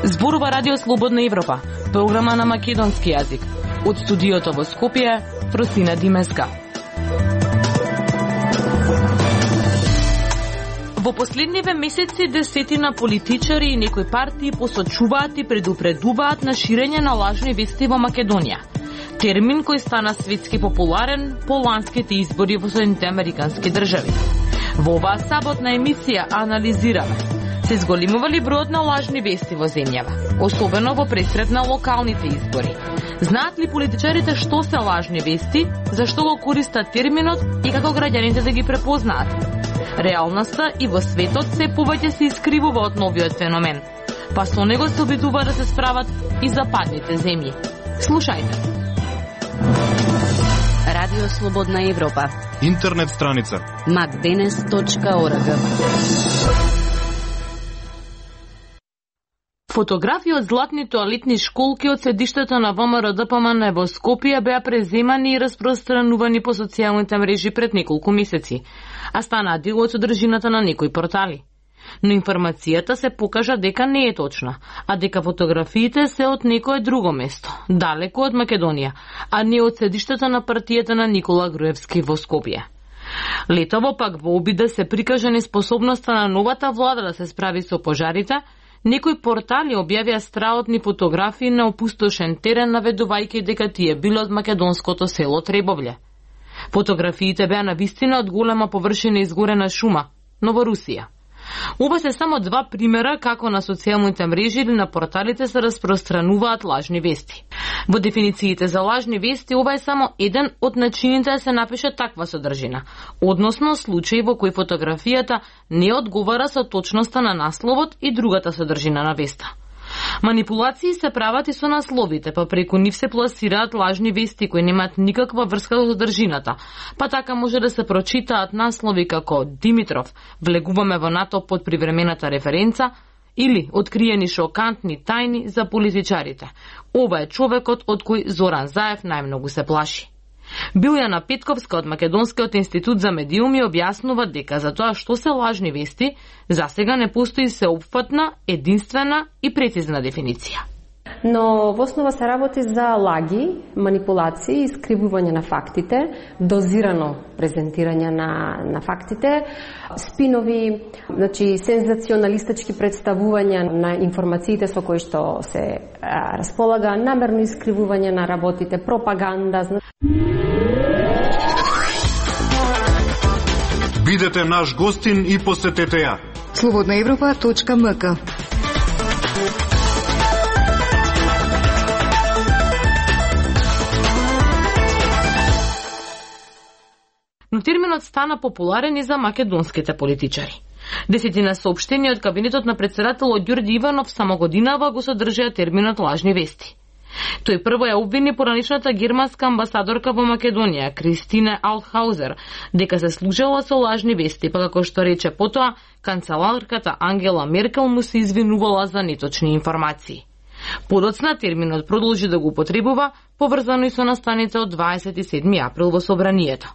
Зборува Радио Слободна Европа, програма на македонски јазик. Од студиото во Скопје, Фросина Димеска. Во последниве месеци десетина политичари и некои партии посочуваат и предупредуваат на ширење на лажни вести во Македонија. Термин кој стана светски популарен по ланските избори во Соединетите Американски држави. Во оваа саботна емисија анализираме се зголемува ли бројот на лажни вести во земјава, особено во пресред на локалните избори. Знаат ли политичарите што се лажни вести, зашто го користат терминот и како граѓаните да ги препознаат? Реалноста и во светот се повеќе се искривува од новиот феномен, па со него се обидува да се справат и западните земји. Слушајте. Радио Слободна Европа. Интернет страница macdenes.org. Фотографии од златни тоалетни школки од седиштето на ВМРО-ДПМН во Скопје беа преземани и распространувани по социјалните мрежи пред неколку месеци, а станаа дел од содржината на некои портали. Но информацијата се покажа дека не е точна, а дека фотографиите се од некое друго место, далеко од Македонија, а не од седиштето на партијата на Никола Груевски во Скопје. Летово пак во обид да се прикаже неспособноста на новата влада да се справи со пожарите, некои портали објавија страотни фотографии на опустошен терен, наведувајќи дека тие било од македонското село Требовље. Фотографиите беа навистина од голема површина изгорена шума, но во Русија. Ова се само два примера како на социјалните мрежи или на порталите се распространуваат лажни вести. Во дефинициите за лажни вести ова е само еден од начините да се напише таква содржина, односно случај во кој фотографијата не одговара со точноста на насловот и другата содржина на веста. Манипулации се прават и со насловите, па преку нив се пласираат лажни вести кои немаат никаква врска со содржината, па така може да се прочитаат наслови како Димитров, влегуваме во НАТО под привремената референца, или откриени шокантни тајни за политичарите. Ова е човекот од кој Зоран Заев најмногу се плаши. Билјана Петковска од Македонскиот институт за медиуми објаснува дека за тоа што се лажни вести, засега не постои сеопфатна, единствена и прецизна дефиниција. Но во основа се работи за лаги, манипулации, искривување на фактите, дозирано презентирање на фактите, спинови, значи сензационалистички представувања на информациите со кои што се располага, намерно искривување на работите, пропаганда. Бидете наш гостин и посетете ја. slobodnaevropa.mk. Но терминот стана популарен и за македонските политичари. Десетина соопштенија од кабинетот на претседателот Ѓорѓи Иванов само годинава го содржаа терминот лажни вести. Тој прво ја обвини поранишната германска амбасадорка во Македонија, Кристина Алтхаузер, дека се служела со лажни вести, па како што рече потоа, канцеларката Ангела Меркел му се извинувала за неточни информации. Подоцна терминот продолжи да го употребува, поврзано и со настаните од 27 април во Собранието.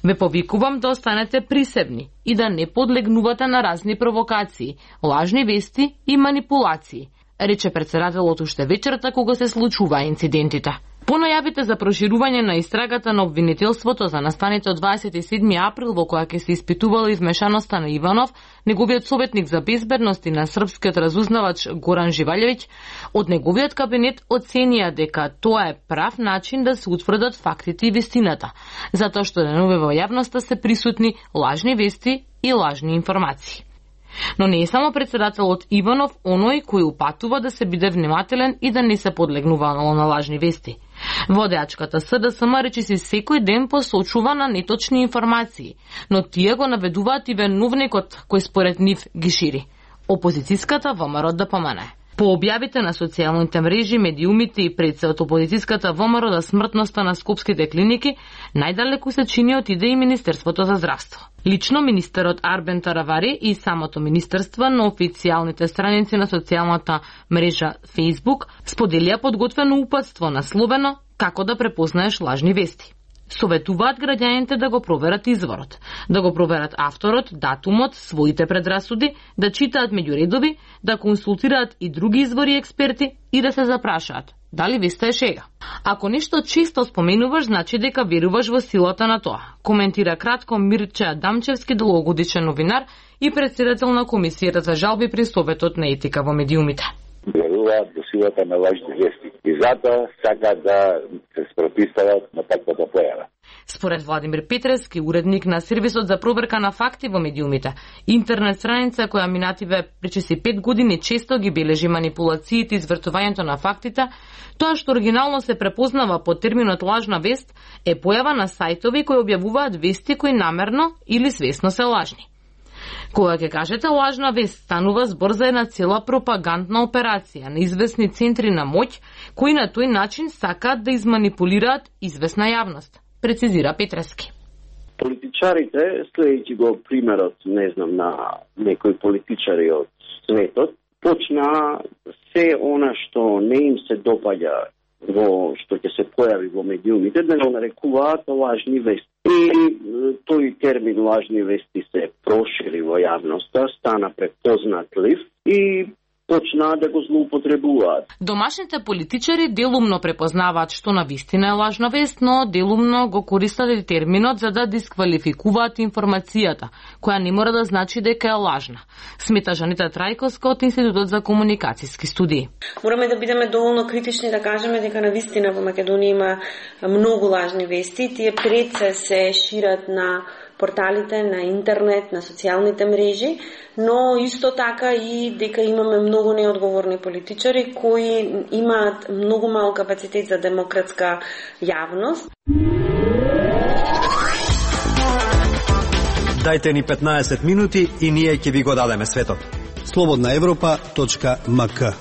Ве повикувам да останете присебни и да не подлегнувате на разни провокации, лажни вести и манипулации, рече претседателот уште вечерта кога се случуваа инцидентите. По најавите за проширување на истрагата на обвинителството за настаните од 27 април во која ќе се испитувала измешаноста на Иванов, неговиот советник за безбедност и на српскиот разузнавач Горан Живалјевиќ, од неговиот кабинет оценија дека тоа е прав начин да се утврдат фактите и вистината, затоа што денове во јавноста се присутни лажни вести и лажни информации. Но не е само претседателот Иванов оној кој упатува да се биде внимателен и да не се подлегнува на лажни вести. Водеачката СДСМ речиси секој ден посочува на неточни информации, но тие го наведуваат и виновникот кој според нив ги шири – опозицијската ВМРО-ДПМН. По објавите на социјалните мрежи, медиумите и пред се од опозицијската ВМРО да смртноста на скопските клиники, најдалеку се чини отиде и Министерството за здравство. Лично министерот Арбен Таравари и самото министерство на официјалните страници на социјалната мрежа Facebook споделија подготвено упатство насловено «Како да препознаеш лажни вести». Советуваат граѓаните да го проверат изворот, да го проверат авторот, датумот, своите предрасуди, да читаат меѓу редови, да консултираат и други извори и експерти и да се запрашаат дали веста е шега. Ако нешто често споменуваш, значи дека веруваш во силата на тоа, коментира кратко Мирче Адамчевски, долгогодишен новинар и председател на Комисијата за жалби при Советот на етика во медиумите. Веруваат во силата на лажни вести и затоа сакаат да се спротивстават на таквата појава. Според Владимир Петрески, уредник на сервисот за проверка на факти во медиумите, интернет страница која минативе пречиси 5 години често ги бележи манипулациите и извртувањето на фактите, тоа што оригинално се препознава под терминот лажна вест е појава на сајтови кои објавуваат вести кои намерно или свесно се лажни. Кога ќе кажете лажна вест, станува збор за една цела пропагандна операција на известни центри на моќ, кои на тој начин сакаат да изманипулираат известна јавност, прецизира Петрески. Политичарите, следејќи го примерот, на некои политичари од светот, почна се она што не им се допаѓа што ќе се појави во медиумите, да го нарекуваат лажни вести. И тој термин лажни вести се прошири во јавноста, стана препознатлив и почнаа да го злоупотребуваат. Домашните политичари делумно препознаваат што навистина е лажна вест, но делумно го користат и терминот за да дисквалификуваат информацијата, која не мора да значи дека е лажна, смета Жанита Трајковска од Институтот за комуникацијски студии. Мораме да бидеме доволно критични да кажеме дека навистина во Македонија има многу лажни вести, тие пред се шират на порталите, на интернет, на социјалните мрежи, но исто така и дека имаме многу неодговорни политичари кои имаат многу мал капацитет за демократска јавност. Дајте ни 15 минути и ние ќе ви го дадеме светот. slobodnaevropa.mk.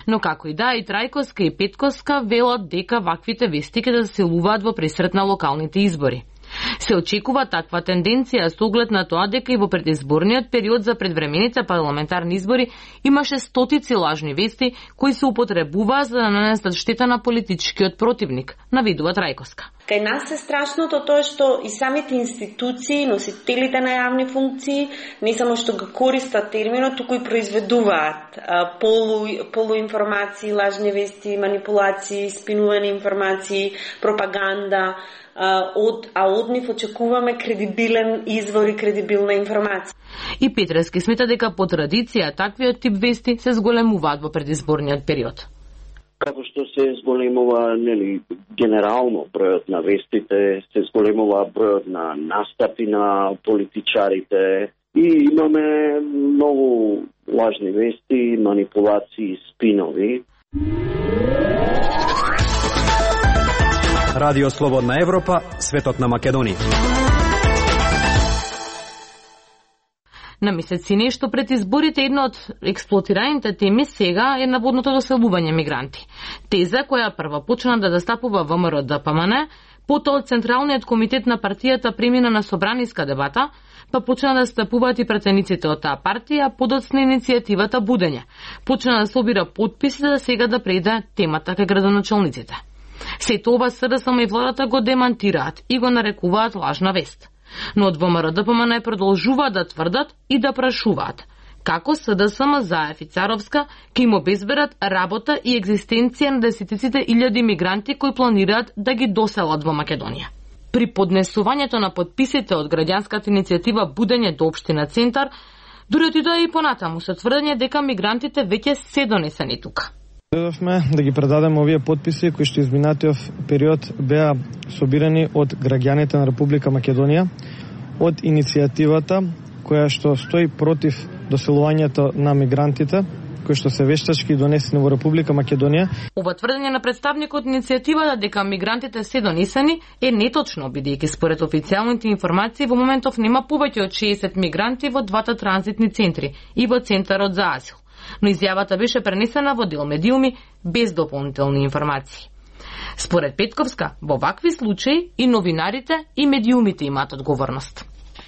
Но како и да, и Трајковска и Петковска велат дека ваквите вести ќе да се заселуваат во пресрет на локалните избори. Се очекува таква тенденција со оглед на тоа дека и во предизборниот период за предвремените парламентарни избори имаше стотици лажни вести кои се употребуваа за да нанесат штета на политичкиот противник, навидува Трајковска. Кај нас е страшното тоа што и самите институции, носителите на јавни функции, не само што го користат терминот, туку и произведуваат полуинформации, лажни вести, манипулации, спинувани информации, пропаганда, од нив очекуваме кредибилен извор и кредибилна информација. И Петрески смета дека по традиција таквиот тип вести се зголемуваат во предизборниот период. Како што се зголемува генерално бројот на вестите, се зголемува бројот на настапи на политичарите и имаме многу лажни вести, манипулации, спинови. Радио Слободна Европа, светот на Македонија. На месеци нешто пред изборите една од експлоатираните теми сега е наводното доселување мигранти. Теза која прва почна да застапува ВМРО ДПМН, потоа од Централниот комитет на партијата премина на собраниска дебата, па почна да стапуваат и пратениците од таа партија, подоцна иницијативата Будење. Почна да собира потписи за сега да преде темата кај градоначалниците. Сето ова СДСМ и владата го демантираат и го нарекуваат лажна вест. Но од ВМРО ДПМН продолжуваат да тврдат и да прашуваат како СДСМ, Заев и Царовска ќе им обезберат работа и екзистенција на десетиците илјади мигранти кои планираат да ги доселат во Македонија. При поднесувањето на подписите од граѓанската иницијатива Будење до општина Центар, дури отидоа и понатаму со тврдење дека мигрантите веќе се донесени тука. Додовме да ги предадеме овие подписи кои што изминатиот период беа собирани од граѓаните на Република Македонија, од иницијативата која што стои против доселувањето на мигрантите, кои што се вештачки донесени во Република Македонија. Ова тврдење на представникот иницијативата дека мигрантите се донесени е неточно, бидејќи според официјалните информации во моментов нема повеќе од 60 мигранти во двата транзитни центри и во центарот за азил. Но изјавата беше пренесена во дел медиуми без дополнителни информации. Според Петковска, во вакви случаи и новинарите и медиумите имаат одговорност.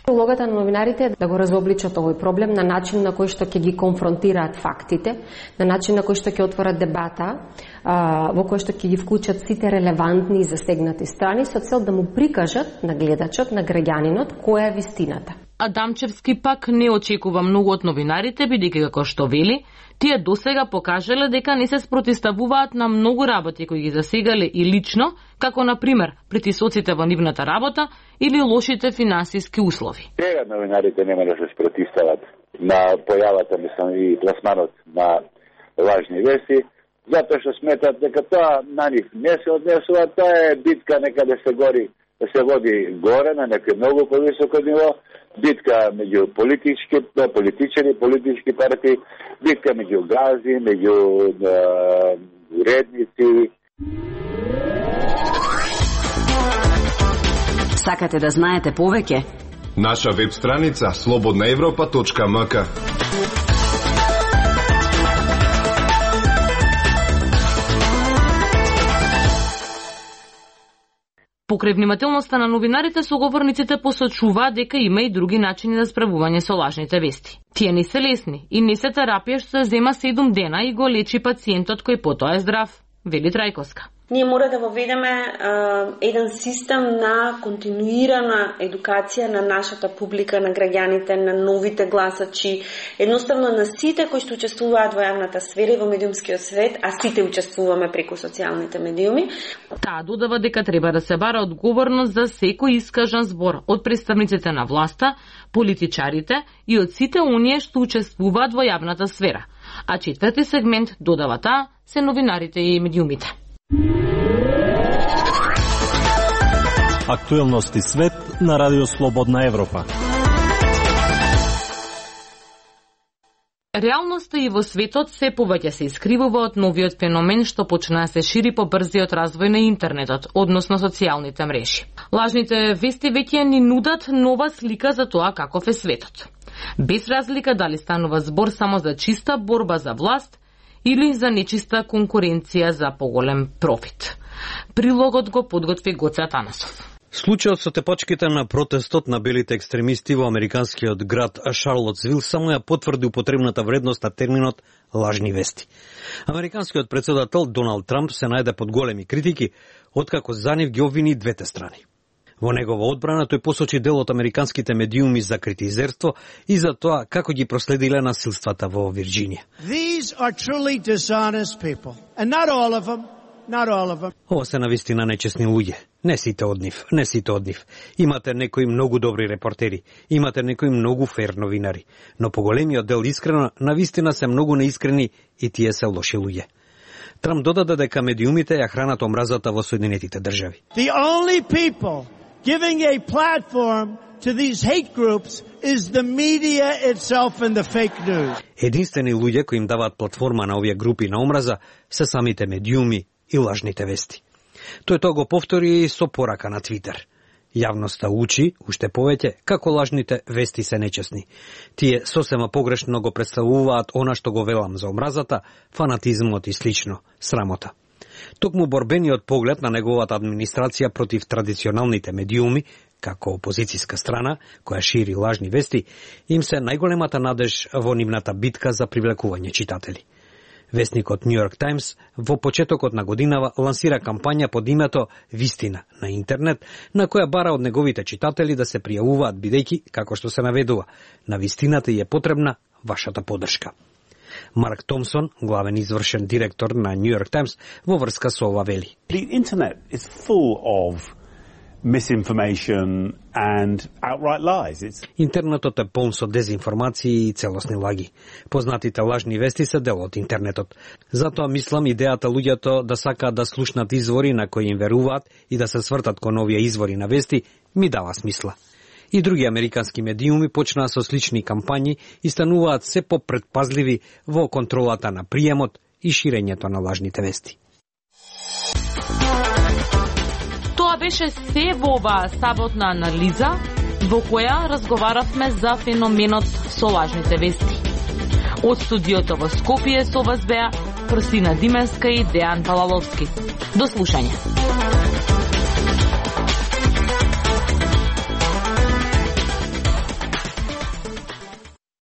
Улогата на новинарите е да го разобличат овој проблем на начин на кој што ќе ги конфронтираат фактите, на начин на кој што ќе отворат дебата, во кој што ќе ги вклучат сите релевантни и засегнати страни со цел да му прикажат на гледачот, на граѓанинот, која е вистината. Адамчевски пак не очекува многу од новинарите, бидејќи како што вели, тие досега покажале дека не се спротиставуваат на многу работи кои ги засегале и лично, како на пример притисоците во нивната работа или лошите финансиски услови. Сега новинарите нема да се спротистават на појавата, мислам, и пласманот на лажни вести, затоа што сметат дека тоа на нив не се однесува, тоа е битка некаде се гори, да се води горе на некој многу повисоко ниво, битка меѓу политичари, политички партии, битка меѓу гази, меѓу уредници. Сакате да знаете повеќе? Наша веб страница slobodnaevropa.mk. Покрај внимателноста на новинарите, соговорниците посочуваат дека има и други начини за справување со лажните вести. Тие не се лесни и не се терапија што се зема 7 дена и го лечи пациентот кој потоа е здрав, вели Трајковска. Ние мора да воведеме еден систем на континуирана едукација на нашата публика, на граѓаните, на новите гласачи, едноставно на сите кои што учествуваат во јавната сфера и во медиумскиот свет, а сите учествуваме преку социјалните медиуми. Таа додава дека треба да се бара одговорност за секој искажан збор од представниците на власта, политичарите и од сите оние што учествуваат во јавната сфера. А четврти сегмент, додава таа, се новинарите и медиумите. Актуелности свет на Радио Слободна Европа. Реалноста и во светот се повеќе се искривува од новиот феномен што почна да се шири по брзиот развој на интернетот, односно социјалните мрежи. Лажните вести веќе ни нудат нова слика за тоа каков е светот. Без разлика дали станува збор само за чиста борба за власт или за нечиста конкуренција за поголем профит. Прилогот го подготви Гоце Атанасов. Случајот со тепачките на протестот на белите екстремисти во американскиот град Шарлотсвил само ја потврди употребната вредност на терминот лажни вести. Американскиот претседател Доналд Трамп се најде под големи критики, откако за нив ги обвини двете страни. Во негова одбрана тој посочи дел од американските медиуми за критизерство и за тоа како ги проследиле насилствата во Вирџинија. These are truly dishonest people, and not all of them. Ова се навистина нечесни луѓе. Не сите од нив. Имате некои многу добри репортери, имате некои многу фер новинари, но поголемиот дел искрено, навистина се многу неискрени и тие се лоши луѓе. Трамп додаде дека медиумите ја хранат омразата во Соединетите држави. The only people giving a platform to these hate groups is the media itself and the fake news. Единствени луѓе кои им даваат платформа на овие групи на омраза се самите медиуми и лажните вести. Тој тоа го повтори и со порака на Твитер. Јавноста учи, уште повеќе, како лажните вести се нечесни. Тие сосема погрешно го представуваат она што го велам за омразата, фанатизмот и слично, срамота. Токму борбениот поглед на неговата администрација против традиционалните медиуми, како опозицијска страна, која шири лажни вести, им се најголемата надеж во нивната битка за привлекување читатели. Вестникот New York Times во почетокот на годинава лансира кампања под името Вистина на интернет, на која бара од неговите читатели да се пријавуваат бидејќи, како што се наведува, на вистината е потребна вашата поддршка. Марк Томсон, главен извршен директор на New York Times, во врска со ова вели. The internet is full of misinformation and outright lies. Интернетот е полн со дезинформации и целосни лаги. Познатите лажни вести се дел од интернетот. Затоа мислам идејата луѓето да сакаат да слушнат извори на кои им веруваат и да се свртат кон овие извори на вести ми дава смисла. И други американски медиуми почнаа со слични кампањи и стануваат се попредпазливи во контролата на приемот и ширењето на лажните вести. Тоа беше се во оваа саботна анализа, во која разговаравме за феноменот со лажните вести. Од студиото во Скопје со вас беа Крстина Дименска и Дејан Палаловски. До слушање.